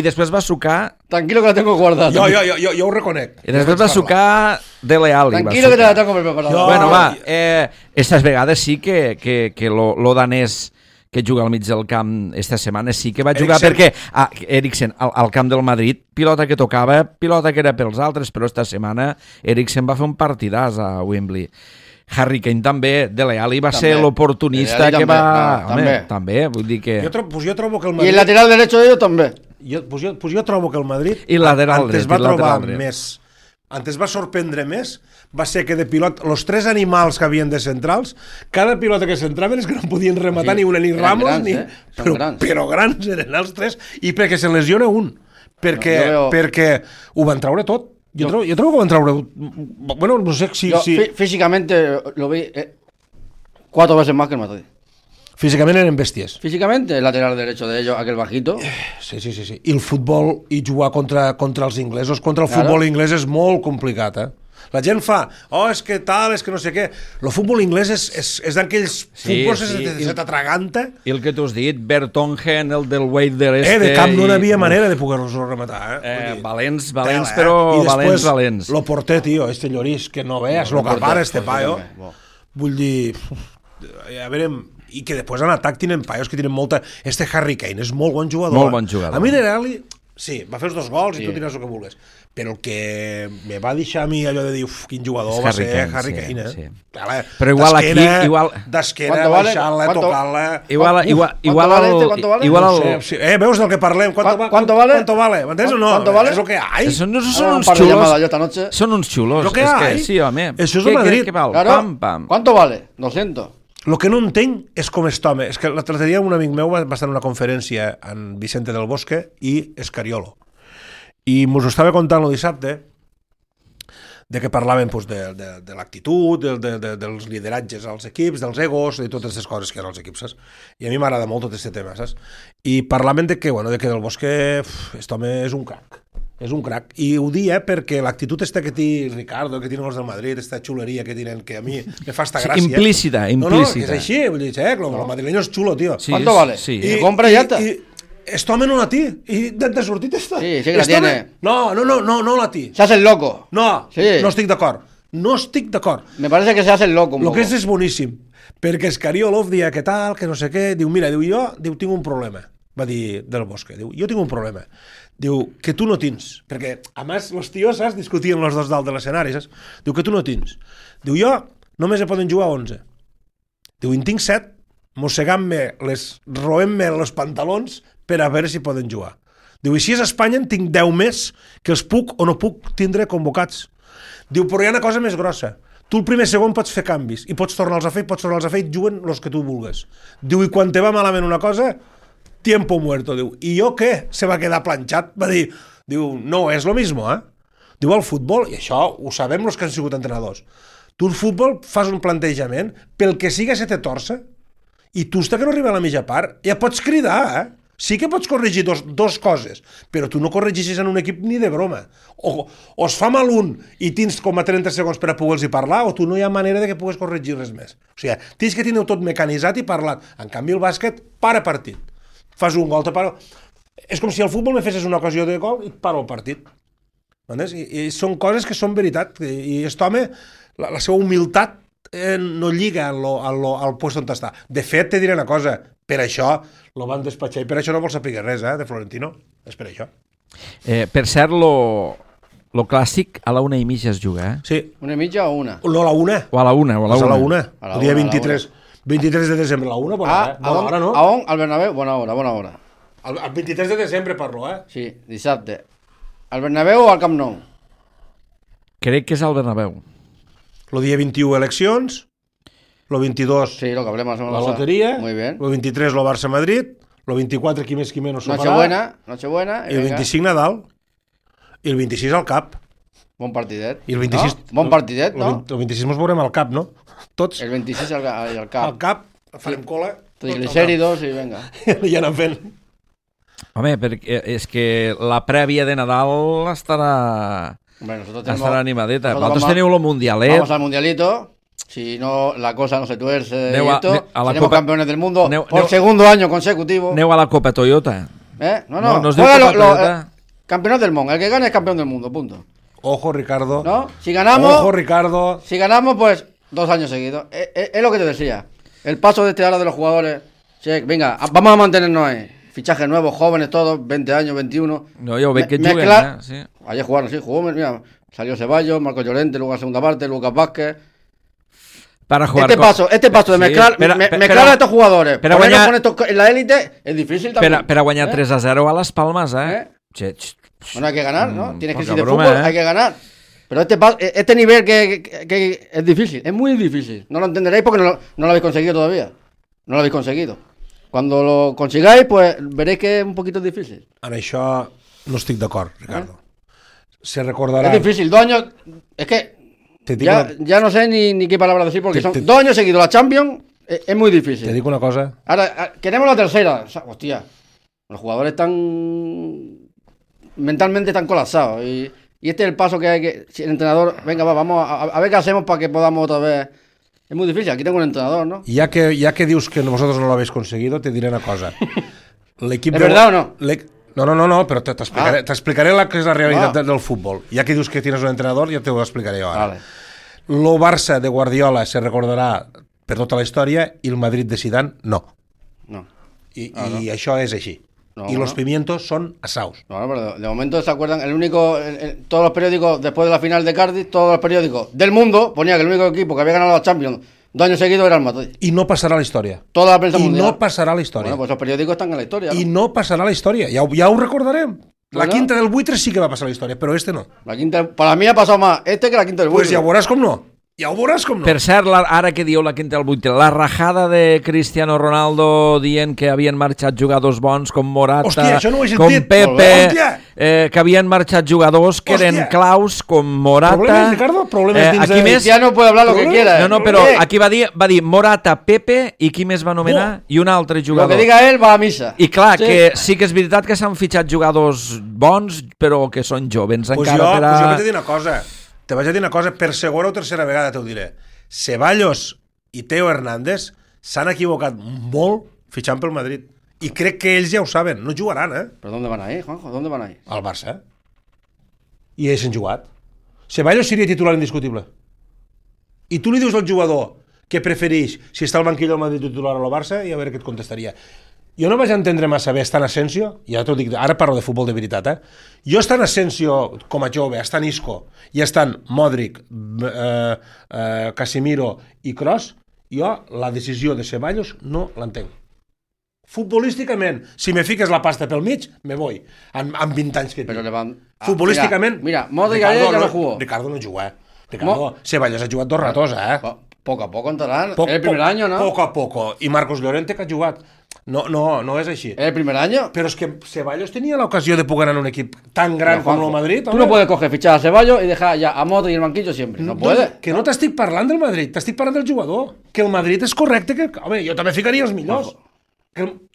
després vas sucar... Tranquilo que la tengo guardada. Jo ho reconec. I després vas sucar Dele Alli. Tranquilo que te la tengo preparada. Bueno, va. Estas vegades sí que lo danès que juga al mig del camp esta setmana sí que va jugar perquè Eriksen al camp del Madrid, pilota que tocava, pilota que era pels altres, però esta setmana Eriksen va fer un partidàs a Wembley. Harry Kane també, Dele Alli va ser l'oportunista que va... També, vull dir que... Jo trobo que el Madrid... I el lateral derecho de ellos també. Jo trobo que el Madrid... I lateral dret. Antes va sorprendre més, va ser que de pilot, els 3 animals que havien de centrals, cada pilota que centraven és que no podien rematar ni una, ni Ramos, ni... Però grans eren els 3, i perquè se lesiona un, perquè ho van traure tot. Jo trobo que ho van traure... Bueno, no sé si... Físicamente lo vi 4 veces más que el Madrid. Físicament eren bèsties. Físicamente, el lateral derecho de ellos, aquel bajito. Sí. I el futbol, i jugar contra els inglesos, contra el futbol inglès és molt complicat, La gent fa, és que tal, és que no sé què. El futbol inglès és d'aquells futbols que se t'atraganta. I el que tu has dit, Vertonghen, el del Wader de camp no hi havia manera de poder-los rematar. Valents, però valents. Lo porter, tio, este llorís, que no veas, lo que para este paio. Vull dir, a veure... I que després en atac tenen paios que tenen molta... Este Harry Kane és molt bon jugador. Molt bon jugador. A mi Dele Alli, sí, va fer els 2 gols i tu diràs el que vulguis. Però el que me va deixar a mi allò de dir, quin jugador va ser Harry Kane, sí. Però igual aquí... D'esquena, baixant-la, tocant-la... Igual veus del que parlem? ¿Cuánto vale? ¿M'entens o no? És el que hay. Són uns xulos. Són uns xulos. Lo que hay. Sí, home. Això és el Madrid. ¿Cuánto vale? 200. El que no entenc és com aquest home. És que l'altre dia un amic meu va estar en una conferència en Vicente del Bosque i Escariolo. I mos ho estava contant el dissabte de que parlaven de l'actitud, dels lideratges als equips, dels egos, de totes aquestes coses que hi ha als equips, saps? I a mi m'agrada molt tot aquest tema, saps? I parlaven de que del Bosque, aquest home és un crac. És un crac. I ho dia perquè l'actitud que té Ricardo, que tenen els del Madrid, aquesta xuleria que tenen, que a mi me fa esta gràcia. Implícita. No, que és així. Vull dir, el madrileño és xulo, tio. ¿Cuánto vale? I compra i ja està. Este home no la té. I de sortit està. Sí que la tiene. No la té. Se hace el loco. No estic d'acord. No estic d'acord. Me parece que se hace el loco un poco. Lo que és boníssim. Perquè Escariolo dia que tal, que no sé què, diu, mira, jo tinc un problema. Va dir Del Bosque. Diu, jo tinc un problema. Diu, que tu no tens, perquè a més els tios, saps, discutien els dos dalt de l'escenari, saps? Diu, que tu no tens. Diu, jo només hi poden jugar 11. Diu, en tinc 7, mossegant-me, roent-me els pantalons per a veure si poden jugar. Diu, i si és a Espanya en tinc 10 més que els puc o no puc tindre convocats. Diu, però hi ha una cosa més grossa. Tu el primer segon pots fer canvis i pots tornar-los a fer, i juguen els que tu vulgues. Diu, i quan te va malament una cosa... tiempo muerto, diu. I jo què? Se va quedar planxat, va dir, diu, no és lo mismo, Diu al futbol, i això ho sabem els que han sigut entrenadors, tu al futbol fas un plantejament, pel que siga se te torça, i tu que no arriba a la mitja part, ja pots cridar, Sí que pots corregir dos coses, però tu no corregeixes en un equip ni de broma. O es fa mal un i tens com a 30 segons per a poder-los parlar, o tu no hi ha manera de que puguis corregir res més. O sigui, tens que tenir tot mecanitzat i parlat. En canvi, el bàsquet, para partit. Fas un gol, te para... És com si al futbol me fessis una ocasió de gol i para el partit. I són coses que són veritat. I aquest home, la seva humilitat no lliga al lloc on està. De fet, te diré una cosa, per això lo van despatxar i per això no vol saber res, de Florentino. És per això. Per cert, lo clàssic a la 1:30 es juga, Sí. 1:30 o 1? No, a la 1. O a la 1, o a la 1. A la 1. El dia 23. 23 de desembre, a la 1, bona hora, no? A on? Al Bernabéu? Bona hora. El 23 de desembre parlo, Sí, dissabte. Al Bernabéu o al Camp Nou? Crec que és al Bernabéu. El dia 21 eleccions, el 22 sí, lo que hablemos la loteria, muy bien. El 23 el Barça-Madrid, el 24 qui més no farà. Nochebuena. I el 25 Nadal. I el 26 al Cap. Bon partidet. I el 26... No? Bon partidet, no? El 26 ens veurem al Cap, no? Tots. El 26 al Cap. Al Cap, farem cola. Triglicéridos i venga. Ja anem fent. Home, perquè és que la prèvia de Nadal estarà animadeta. Vosaltres teniu el Mundialet. Vamos al Mundialito. Si no, la cosa no se tuerce seremos campeones del mundo por segundo año consecutivo. Aneu a la Copa Toyota. No es diu Copa Toyota. Campeones del mundo. El que gane es campeón del mundo, punto. Ojo, Ricardo. ¿No? Si ganamos... Ojo, Ricardo. Si ganamos, pues 2 años seguidos. Es lo que te decía. El paso de este ahora de los jugadores. Venga, vamos a mantenernos ahí. Fichajes nuevos, jóvenes todos, 20 años, 21. No, yo veo que juguen, sí. Ayer jugaron, sí, jugó, mira, salió Ceballos, Marcos Llorente, luego a segunda parte, Lucas Vázquez. Para jugar este paso de mezclar, mezclar a estos jugadores, ponernos con estos en la élite, es difícil también. Pero aguantar 3-0 a Las Palmas, Bueno, hay que ganar, ¿no? Tienes crisis de fútbol, hay que ganar. Pero este nivel que es difícil, es muy difícil. No lo entenderéis porque no lo habéis conseguido todavía. No lo habéis conseguido. Cuando lo consigáis, pues veréis que es un poquito difícil. En això no estic d'acord, Ricardo. Se recordará... Es difícil, 2 años... Es que ya no sé ni qué palabra decir porque son 2 años seguidos la Champions, es muy difícil. Te digo una cosa. Ahora, queremos la tercera. Hostia, los jugadores están... mentalmente están colapsados y este es el paso que hay que... Si el entrenador, venga, vamos a ver qué hacemos para que podamos otra vez... Es muy difícil, aquí tengo un entrenador, ¿no? Ya que dius que vosotros no lo habéis conseguido, te diré una cosa. ¿Es verdad o no? No, pero te explicaré que es la realidad del fútbol. Ya que dius que tienes un entrenador, ya te lo explicaré yo ahora. Vale. Lo Barça de Guardiola se recordarà per tota la història i el Madrid de Zidane no. I això és així. Y los pimientos son asados. No, pero de momento se acuerdan, todos los periódicos, después de la final de Cardiff, todos los periódicos del mundo ponía que el único equipo que había ganado la Champions 2 años seguidos era el Madrid. Y no pasará a la historia. Toda la prensa mundial. Y no pasará a la historia. Bueno, pues los periódicos están en la historia, ¿no? Y no pasará a la historia. Ya ho recordarem. La quinta del buitre sí que va pasar a la historia, pero este no. La quinta, para mí ha pasado más que la quinta del buitre. Pues ya veuràs com no. Ja ho veuràs com no. Per cert, ara que dieu la quinta del buitre, la rajada de Cristiano Ronaldo dient que havien marxat jugadors bons com Morata, com Pepe, que havien marxat jugadors que eren claus com Morata. Problemes, Ricardo? Problemes dins de... Cristiano puede hablar lo que quiera. No, però aquí va dir Morata, Pepe i qui més va anomenar? I un altre jugador. Lo que diga él va a misa. I clar, que sí que és veritat que s'han fitxat jugadors bons, però que són jovens encara per a... Jo vaig dir una cosa. Te vaig a dir una cosa, per segona o tercera vegada t'ho diré. Ceballos i Teo Hernández s'han equivocat molt fitxant pel Madrid. I crec que ells ja ho saben, no jugaran, ¿Pero dónde van a ir, Juanjo? ¿Dónde van a ir? Al Barça. I ells han jugat. Ceballos seria titular indiscutible. I tu li dius al jugador que prefereix si està al banquillo del Madrid titular o al Barça i a veure què et contestaria. Jo no vaig entendre massa bé estant Asensio, ja t'ho dic, ara parlo de futbol de veritat, Jo estant Asensio com a jove, estant Isco, i estant Modric, Casemiro i Kroos, jo la decisió de Ceballos no l'entenc. Futbolísticament, si me fiques la pasta pel mig, me voy, amb 20 anys que tinc. Futbolísticament... Mira, Modric ayer ja no jugó. Ricardo no juga, Ricardo, Ceballos ha jugat 2 ratos, Poco a poco entrarán, el primer año, ¿no? Poco a poco. I Marcos Llorente que ha jugat. No és així. ¿Es el primer año? Pero es que Ceballos tenía la ocasión de poder ganar un equipo tan gran como el Madrid. Tú no puedes coger, fichar a Ceballos y dejar ya a Modric y el banquillo siempre. No puedes. Que no t'estic parlant del Madrid, t'estic parlant del jugador. Que el Madrid és correcte. Home, jo també ficaria els millors.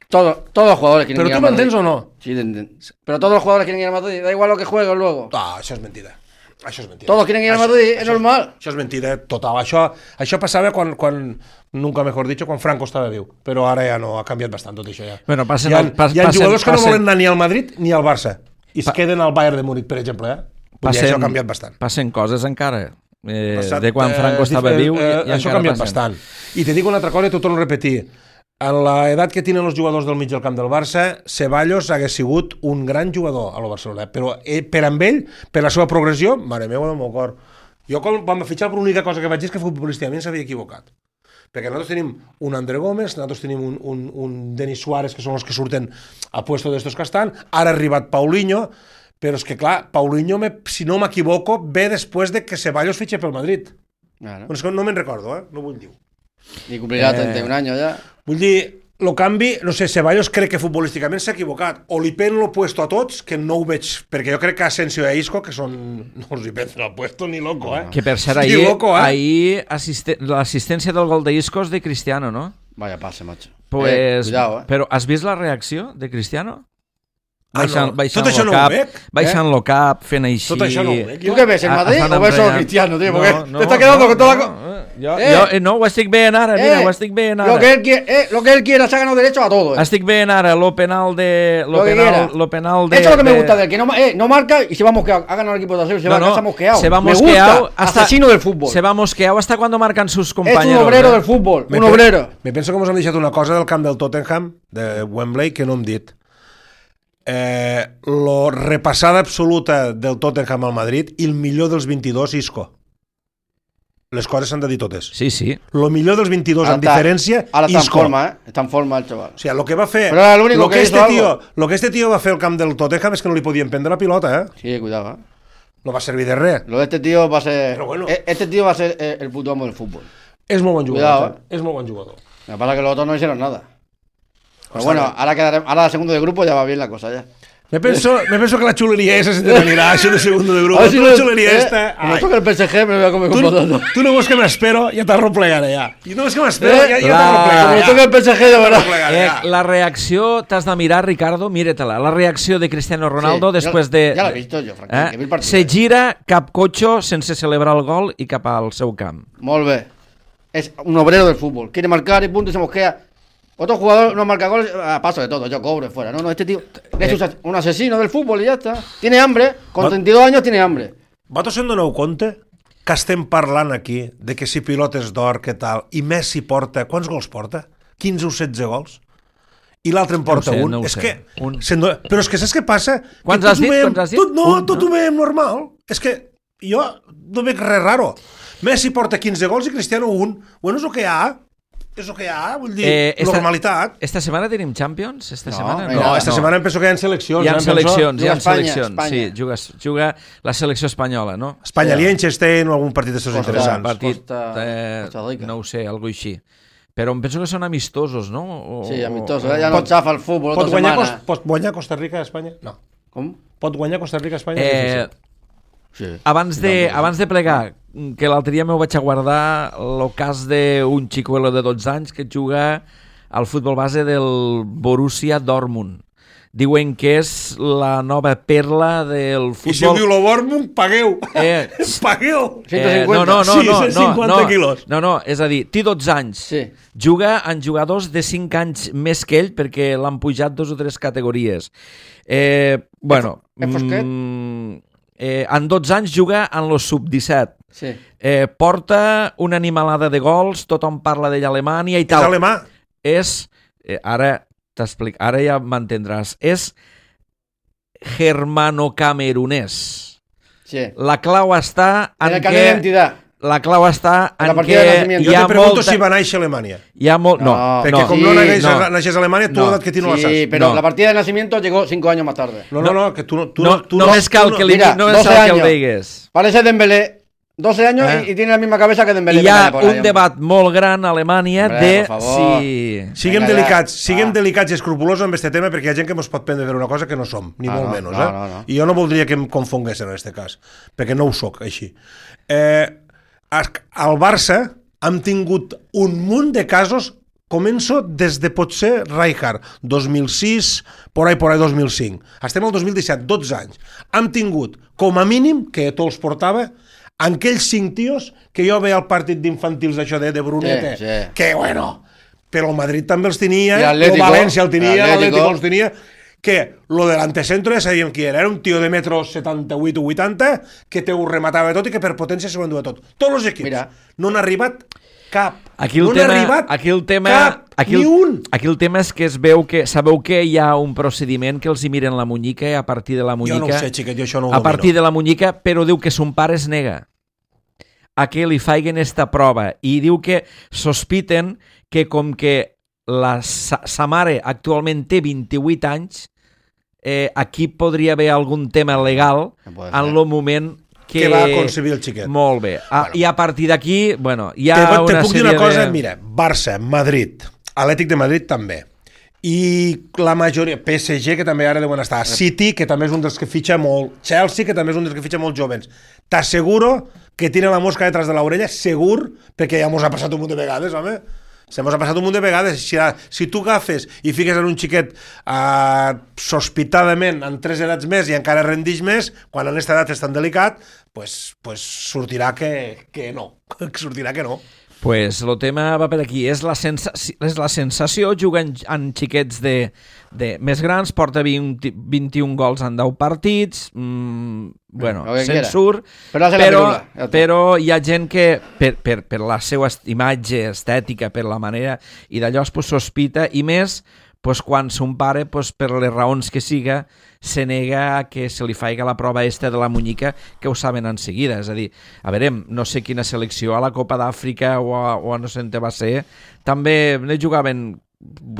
Todos los jugadores quieren ir ¿Pero al tú Madrid. m'entens o no? Sí, te entiendo. Pero todos los jugadores quieren ir al Madrid. Da igual lo que jueguen luego. Això és mentida. Això és mentida. Todos quieren ir al Madrid, es normal. Això és mentida total. Això passava quan nunca mejor dicho, quan Franco estava viu. Però ara ja no, ha canviat bastant tot això ja. Bueno, hi ha jugadors que no volen anar ni al Madrid ni al Barça. I es queden al Bayern de Múnich, per exemple. Això ha canviat bastant. Passen coses encara. De quan Franco estava viu i això ha canviat bastant. I te dic una altra cosa i t'ho torno a repetir. En l'edat que tenen els jugadors del mig del camp del Barça, Ceballos hagués sigut un gran jugador a la Barcelona, però per amb ell, per la seva progressió, mare meva del meu cor. Jo quan vam fitxar, l'única cosa que vaig dir és que futbolísticament s'havia equivocat. Perquè nosaltres tenim un André Gómez, nosaltres tenim un Denis Suárez, que són els que surten a puesto d'estos que estan, ara ha arribat Paulinho, però és que clar, Paulinho, si no m'equivoco, ve després de que Ceballos fitxe pel Madrid. Claro. És que no me'n recordo, no vull dir. Y cumplirá 31 años ya. Vull dir, el canvi, no sé, Ceballos crec que futbolísticament s'ha equivocat. O li pen lo puesto a tots, que no ho veig, perquè jo crec que Asensio i Isco, que són... No els hi pensen el puesto ni loco, Que per cert, ahir l'assistència del gol d'Isco és de Cristiano, ¿no? Vaya pase, macho. Pues, cuidado, Però has vist la reacció de Cristiano? Tot això no ho veig. Baixant-lo cap, fent així... Tot això no ho veig. ¿Tú qué ves, el Madrid o ves solo Cristiano, tío? Porque te está quedando con toda la... No, ho estic veient ara, mira, ho estic veient ara. Lo que él quiera, se ha ganado derecho a todo. Estic veient ara lo penal de... Lo penal de... Eso es lo que me gusta de él, que no marca y se va mosqueado. Ha ganado el equipo de Aseo, se va mosqueado. Se va me mosqueado gusta, asesino del fútbol. Se va mosqueado hasta cuando marcan sus compañeros. Es un obrero del fútbol, un obrero. Me penso que mos han deixat una cosa del camp del Tottenham, de Wembley, que no hem dit. La repassada absoluta del Tottenham al Madrid i el millor dels 22, Isco. Les coses s'han de dir totes. Sí, sí. Lo millor dels 22 en diferència, ara està Isco. Està en forma el chaval. O sigui, lo que va fer... Però era l'únic que hizo algo. Lo que este tío va fer al camp del Tottenham és que no li podien prendre la pilota, Sí, cuidado, No va servir de res. Lo de este tío va a ser... Pero bueno. Este tío va a ser el puto amo del fútbol. És molt bon jugador. Cuidado, És molt bon jugador. Lo que pasa es que los otros no hicieron nada. Pero bueno, ahora el segundo de grupo ya va bien la cosa ya. Me penso que la xuleria esa se te n'anirà, això de segundo de grup. Si la xuleria esta... Como toca el PSG me voy a comer con potato. Tu no veus que m'espero, ja t'arroplegaré ja. I no veus que m'espero, ja t'arroplegaré. Como toca el PSG, de verdad. La reacció, t'has de mirar, Ricardo, míretela. La reacció de Cristiano Ronaldo després de... Ja l'he vist jo, Frank. Se gira cap cotxo sense celebrar el gol i cap al seu camp. Molt bé. Es un obrero del fútbol. Quiere marcar y punto y se mosquea. Otro jugador no marca goles, a paso de todo, yo cobro fuera. No, este tío es un asesino del fútbol y ya está. Tiene hambre, con 32 años tiene hambre. Vosaltres se'n doneu compte que estem parlant aquí de que si pilotes d'or, què tal, i Messi porta, quants gols porta? 15 o 16 gols? I l'altre en porta un. És que, però és que saps què passa? Quants has dit? Tot ho veiem normal. És que jo no veig res raro. Messi porta 15 gols i Cristiano un. Bueno, és el que hi ha. És el que hi ha, vull dir, normalitat. Esta setmana tenim Champions? Esta setmana em penso que hi ha seleccions. Hi ha seleccions, Espanya. sí, juga la selecció espanyola, no? Espanya, Liechtenstein o algun partit d'estos interessants. Costa Rica. No ho sé, algo així. Però em penso que són amistosos, no? Sí, amistosos, ja no xafa el futbol tota setmana. Pot guanyar Costa Rica a Espanya? No. Com? Pot guanyar Costa Rica a Espanya? Sí. Abans de plegar, que l'altre dia m'ho vaig a guardar el cas d'un xicuelo de 12 anys que juga al futbol base del Borussia Dortmund. Diuen que és la nova perla del futbol... I si diu el Dortmund, pagueu! Pagueu! 150. Sí, 150 quilos. No, és a dir, té 12 anys. Sí. Juga amb jugadors de 5 anys més que ell perquè l'han pujat 2 o 3 categories. Bueno... en 12 anys juga en los sub-17. Sí. Porta una animalada de gols, tothom parla d'ell a Alemanya i tal. És alemà? Ara t'explico, ara ja m'entendràs. És germano-camerunès. Sí. La clau està en el carnet d'identitat. La clau està en que jo te pregunto si va néixer a Alemanya. No, perquè com no naixes a Alemanya, tu l'edat que no la saps. Sí, pero la partida de nacimiento llegó 5 años más tarde. No, que tu només cal que li digues. Parece Dembélé, 12 años y tiene la misma cabeza que Dembélé. Hi ha un debat molt gran a Alemanya de si... Siguem delicats i escrupulosos amb aquest tema, perquè hi ha gent que ens pot prendre una cosa que no som, ni molt menys. No. I jo no voldria que em confonguessin en aquest cas, perquè no ho soc, així. Al Barça hem tingut un munt de casos. Començo des de potser Rijkaard, 2006, por ahí 2005. Estem al 2017, 12 anys. Hem tingut, com a mínim, que tot els portava, aquells 5 tios que jo veia al partit d'infantils això de Brunete, que bueno, però el Madrid també els tenia, el València el tenia, l'Atlético els tenia, que lo de l'antecentro ja sabíem qui era un tio de metro 78 o 80 que te ho rematava tot i que per potència s'ho enduia tot. Tots els equips. No han arribat cap. Aquí el tema és que es veu que sabeu que hi ha un procediment que els hi miren la munyica i a partir de la munyica... Jo no ho sé, xiquet, jo això no ho domino. A partir de la munyica, però diu que son pare es nega a que li faiguen esta prova i diu que sospiten que com que sa mare actualment té 28 anys, aquí podria haver algun tema legal en el moment que va concebir el xiquet. Molt bé. I a partir d'aquí, bueno, hi ha una sèrie de... Te puc dir una cosa, mira, Barça, Madrid, Atlètic de Madrid també, i la majoria, PSG, que també ara deuen estar, City, que també és un dels que fitxa molt, Chelsea, que també és un dels que fitxa molt jovens. T'asseguro que tiene la mosca detrás de l'orella, segur, perquè ja mos ha passat un munt de vegades, home. Se mos ha passat un munt de vegades. Si tu agafes i fiques en un xiquet sospitadament en 3 edats més i encara rendix més, quan en aquesta edat és tan delicat, pues sortirà que no. Sortirà que no. Pues el tema va per aquí. És la sensació, juga en xiquets de més grans, porta 21 gols en 10 partits, bueno, se'n surt, però hi ha gent que per la seva imatge estètica, per la manera, i d'allò es sospita, i més quan son pare, per les raons que siga, se nega que se li faiga la prova esta de la munyica, que ho saben en seguida. És a dir, a veure, no sé quina selecció, a la Copa d'Àfrica o a no sé on va ser, també ne jugaven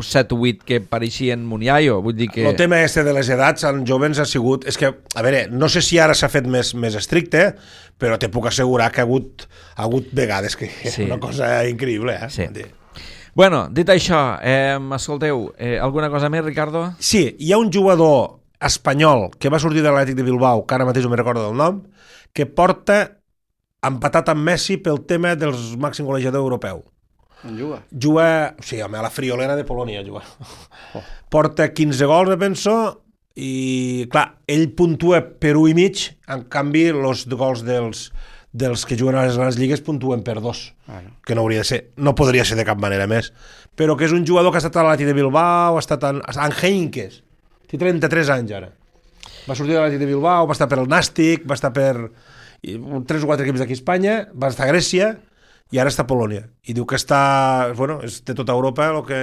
7 o 8 que pareixien Muniayo, vull dir que... El tema este de les edats en jovens ha sigut... És que, a veure, no sé si ara s'ha fet més estricte, però te puc assegurar que ha hagut vegades que és una cosa increïble, eh? Sí. Bueno, dit això, escolteu, alguna cosa més, Ricardo? Sí, hi ha un jugador espanyol que va sortir de l'Atlètic de Bilbao, que ara mateix no me'n recordo del nom, que porta empatat amb Messi pel tema dels màxim golejador europeu. On juga? Sí, home, a la Friolera de Polònia juga. Porta 15 gols, me penso, i clar, ell puntua per 1,5, en canvi, els gols dels que juguen a les grans lligues puntuen per 2, que no hauria de ser, no podria ser de cap manera més, però que és un jugador que ha estat a l'Atlètic de Bilbao, ha estat en Heinkes, té 33 anys ara, va sortir de l'Atlètic de Bilbao, va estar per el Nàstic, va estar per 3 o 4 equips d'aquí a Espanya, va estar a Grècia i ara està a Polònia, i diu que està, bueno, és de tota Europa el que...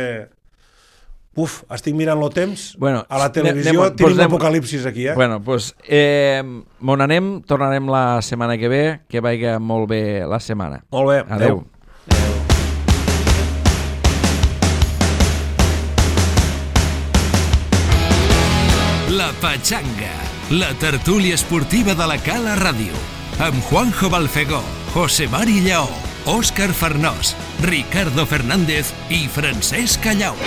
estic mirant el temps, a la televisió tenim l'apocalipsis aquí, eh? Bueno, doncs, on anem, tornarem la setmana que ve, que vagi molt bé la setmana. Molt bé, adeu. La Pachanga, la tertúlia esportiva de la Cala Ràdio, amb Juanjo Balfegó, José Mari Lleó, Òscar Farnós, Ricardo Fernández i Francesc Callau.